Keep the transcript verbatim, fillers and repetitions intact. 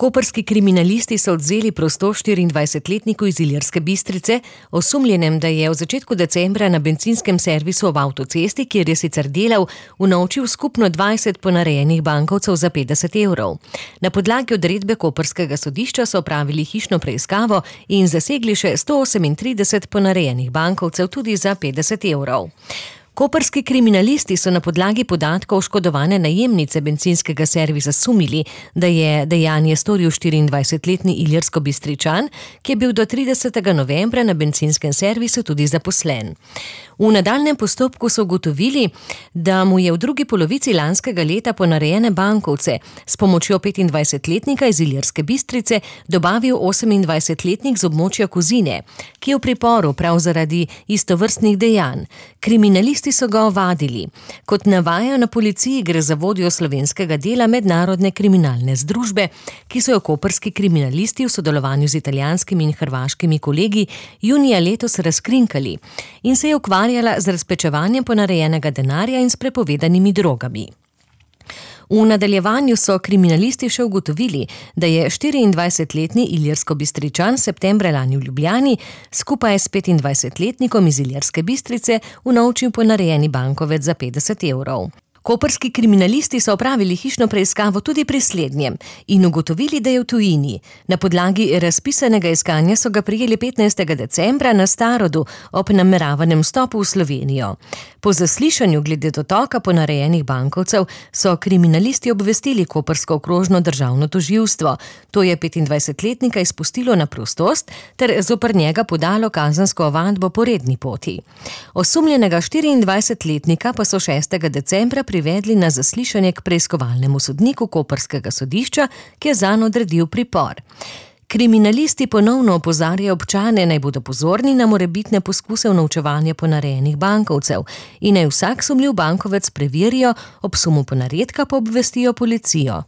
Koprski kriminalisti so odvzeli prostost štiriindvajsetletniku iz Ilirske Bistrice, osumljenem, da je v začetku decembra na bencinskem servisu ob avtocesti, kjer je sicer delal, unovčil skupno dvajset ponarejenih bankovcev za petdeset evrov. Na podlagi odredbe koprskega sodišča so opravili hišno preiskavo in zasegli še sto osemintrideset ponarejenih bankovcev tudi za petdeset evrov. Koprski kriminalisti so na podlagi podatkov oškodovane najemnice bencinskega servisa sumili, da je dejanje storil štiriindvajsetletni Ilirskobistričan, ki je bil do tridesetega novembra na bencinskem servisu tudi zaposlen. V nadaljnjem postopku so ugotovili, da mu je v drugi polovici lanskega leta ponarejene bankovce s pomočjo petindvajsetletnika iz Ilirske Bistrice dobavil osemindvajsetletnik z območja Kozine, ki je v priporu prav zaradi istovrstnih dejanj. Kriminalisti so ga ovadili. Kot navajajo na policiji, gre za vodjo slovenskega dela mednarodne kriminalne združbe, ki so jo koprski kriminalisti v sodelovanju z italijanskimi in hrvaškimi kolegi junija letos razkrinkali in se je ukvarjala z razpečevanjem ponarejenega denarja in s prepovedanimi drogami. V nadaljevanju so kriminalisti še ugotovili, da je štiriindvajsetletni Ilirskobistričan septembra lani v Ljubljani skupaj s petindvajsetletnikom iz Ilirske Bistrice unovčil ponarejeni bankovec za petdeset evrov. Koprski kriminalisti so opravili hišno preiskavo tudi pri slednjem in ugotovili, da je v tujini. Na podlagi razpisanega iskanja so ga prijeli petnajstega decembra na Starodu ob nameravanem vstopu v Slovenijo. Po zaslišanju glede dotoka ponarejenih bankovcev so kriminalisti obvestili koprsko okrožno državno tožilstvo. To je petindvajsetletnika izpustilo na prostost ter zoper njega podalo kazensko ovadbo po redni poti. Osumljenega štiriindvajsetletnika pa so šestega decembra privedli na zaslišanje k preiskovalnemu sodniku koprskega sodišča, ki je zanj odredil pripor. Kriminalisti ponovno opozarjajo občane, naj bodo pozorni na morebitne poskuse unovčevanja ponarejenih bankovcev in naj vsak sumljiv bankovec preverijo, ob sumu ponaredka pa obvestijo policijo.